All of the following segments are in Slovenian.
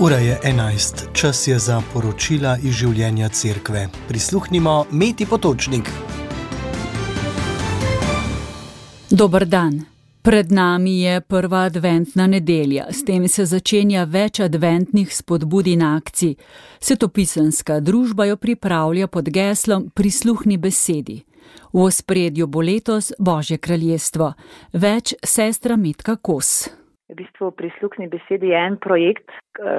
Ura je 11, čas je za poročila iz življenja cerkve. Prisluhnimo Meti Potočnik. Dober dan. Pred nami je prva adventna nedelja. S tem se začenja več adventnih spodbud in akcij. Svetopisemska družba jo pripravlja pod geslom Prisluhni besedi. V ospredju bo letos Božje kraljestvo. Več sestra Metka Kos. V bistvu Prisluhni besedi je en projekt,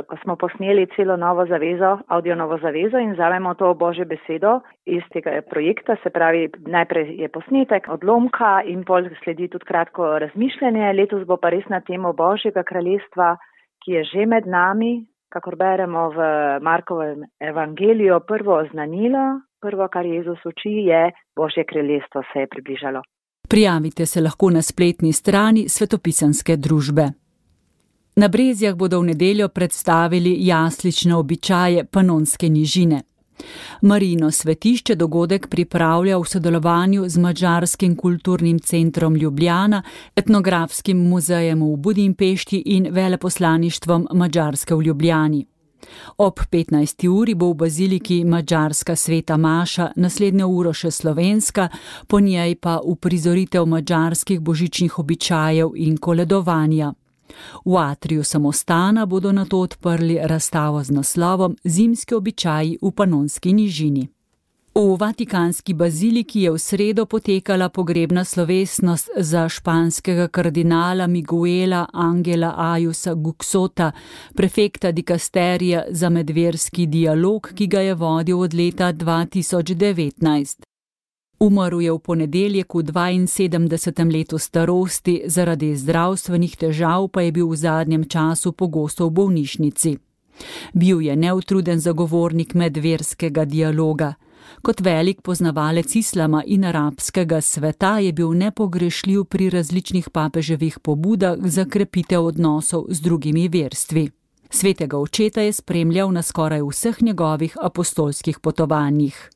ko smo posneli celo novo zavezo, audio novo zavezo in vzamemo to Božje besedo iz tega projekta, se pravi najprej je posnetek, odlomka in pol sledi tudi kratko razmišljanje. Letos bo pa res na temo Božjega kraljestva, ki je že med nami, kakor beremo v Markovem evangeliju, prvo oznanilo, prvo, kar Jezus uči, je Božje kraljestvo se je približalo. Prijavite se lahko na spletni strani Svetopisemske družbe. Na Brezjah bodo v nedeljo predstavili jaslične običaje Panonske nižine. Marijino svetišče dogodek pripravlja v sodelovanju z Madžarskim kulturnim centrom Ljubljana, Etnografskim muzejem v Budimpešti in veleposlaništvom Madžarske v Ljubljani. Ob 15. uri bo v baziliki madžarska sveta maša, naslednjo uro še slovenska, po njej pa uprizoritev madžarskih božičnih običajev in koledovanja. V atriju samostana bodo nato odprli razstavo z naslovom Zimski običaji v Panonski nižini. V Vatikanski baziliki je v sredo potekala pogrebna slovesnost za španskega kardinala Miguela Angela Ajusa Guxota, prefekta dikasterija za medverski dialog, ki ga je vodil od leta 2019. Umrl je v ponedeljek v 72. letu starosti, zaradi zdravstvenih težav pa je bil v zadnjem času pogosto v bolnišnici. Bil je neutruden zagovornik medverskega dialoga. Kot velik poznavalec islama in arabskega sveta je bil nepogrešljiv pri različnih papeževih pobudah za krepitev odnosov z drugimi verstvi. Svetega očeta je spremljal na skoraj vseh njegovih apostolskih potovanjih.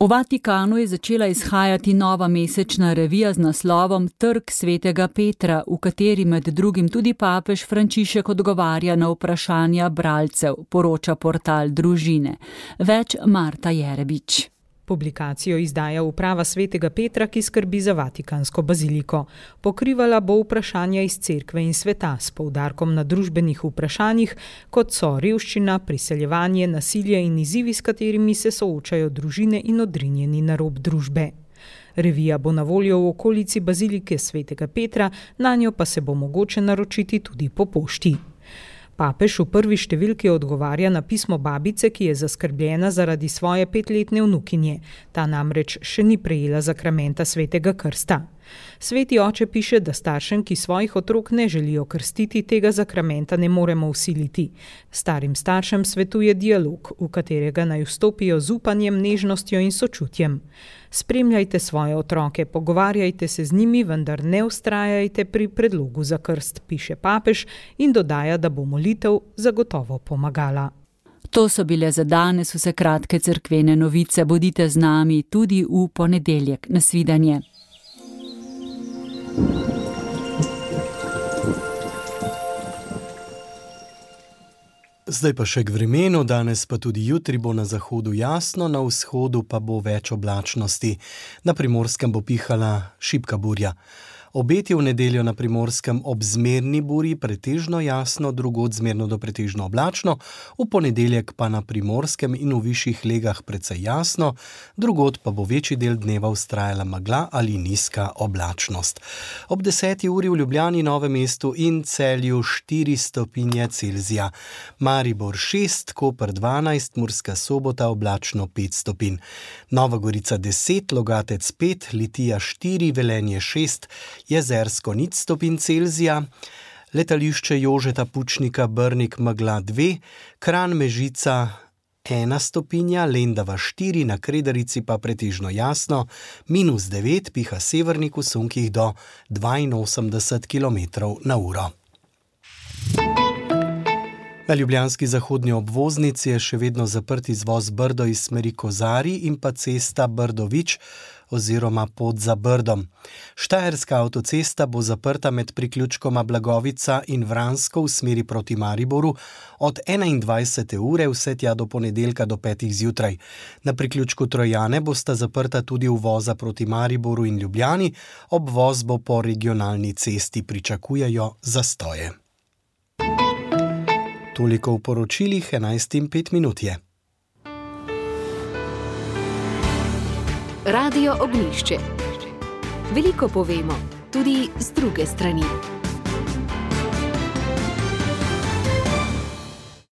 V Vatikanu je začela izhajati nova mesečna revija z naslovom Trg svetega Petra, v kateri med drugim tudi papež Frančišek odgovarja na vprašanja bralcev, poroča portal Družine. Več Marta Jerebič. Publikacijo izdaja uprava svetega Petra, ki skrbi za Vatikansko baziliko. Pokrivala bo vprašanja iz cerkve in sveta s poudarkom na družbenih vprašanjih, kot so revščina, priseljevanje, nasilje in izzivi, s katerimi se soočajo družine in odrinjeni na rob družbe. Revija bo na voljo v okolici bazilike svetega Petra, nanjo pa se bo mogoče naročiti tudi po pošti. Papež v prvi številki odgovarja na pismo babice, ki je zaskrbljena zaradi svoje 5-letne vnukinje. Ta namreč še ni prejela zakramenta svetega krsta. Sveti oče piše, da staršem, ki svojih otrok ne želijo krstiti, tega zakramenta ne moremo vsiliti. Starim staršem svetuje dialog, v katerega naj vstopijo z upanjem, nežnostjo in sočutjem. Spremljajte svoje otroke, pogovarjajte se z njimi, vendar ne vztrajajte pri predlogu za krst, piše papež in dodaja, da bo molitev zagotovo pomagala. To so bile za danes vse kratke cerkvene novice. Bodite z nami tudi v ponedeljek. Nasvidenje. Zdaj pa še k vremenu, danes pa tudi jutri bo na zahodu jasno, na vzhodu pa bo več oblačnosti. Na Primorskem bo pihala šibka burja. Obeti v nedeljo na Primorskem ob zmerni burji pretežno jasno, drugod zmerno do pretežno oblačno, v ponedeljek pa na Primorskem in v višjih legah precej jasno, drugod pa bo večji del dneva vztrajala megla ali nizka oblačnost. Ob 10. uri v Ljubljani, Novem mestu in Celju 4 stopinje Celzija. Maribor 6, Koper 12, Murska Sobota oblačno 5 stopinj. Nova Gorica 10, Logatec 5, Litija 4, Velenje 6, Jezersko 0 stopinj Celzija, letališče Jožeta Pučnika Brnik megla 2, Kranj Mežica 1 stopinja, Lendava 4, na Kredarici pa pretežno jasno, -9, piha severnik v sunkih do 82 km/h. Na ljubljanski zahodni obvoznici je še vedno zaprt izvoz Brdo iz smeri Kozarij in pa cesta Brdo-Vič oziroma pot za Brdom. Štajerska avtocesta bo zaprta med priključkoma Blagovica in Vransko v smeri proti Mariboru od 21. ure vse tja do ponedeljka do 5. zjutraj. Na priključku Trojane bosta zaprta tudi uvoza proti Mariboru in Ljubljani, obvoz bo po regionalni cesti, pričakujejo zastoje. Toliko v poročilih, 11:05 je. Radio Ognjišče. Veliko povemo, tudi z druge strani.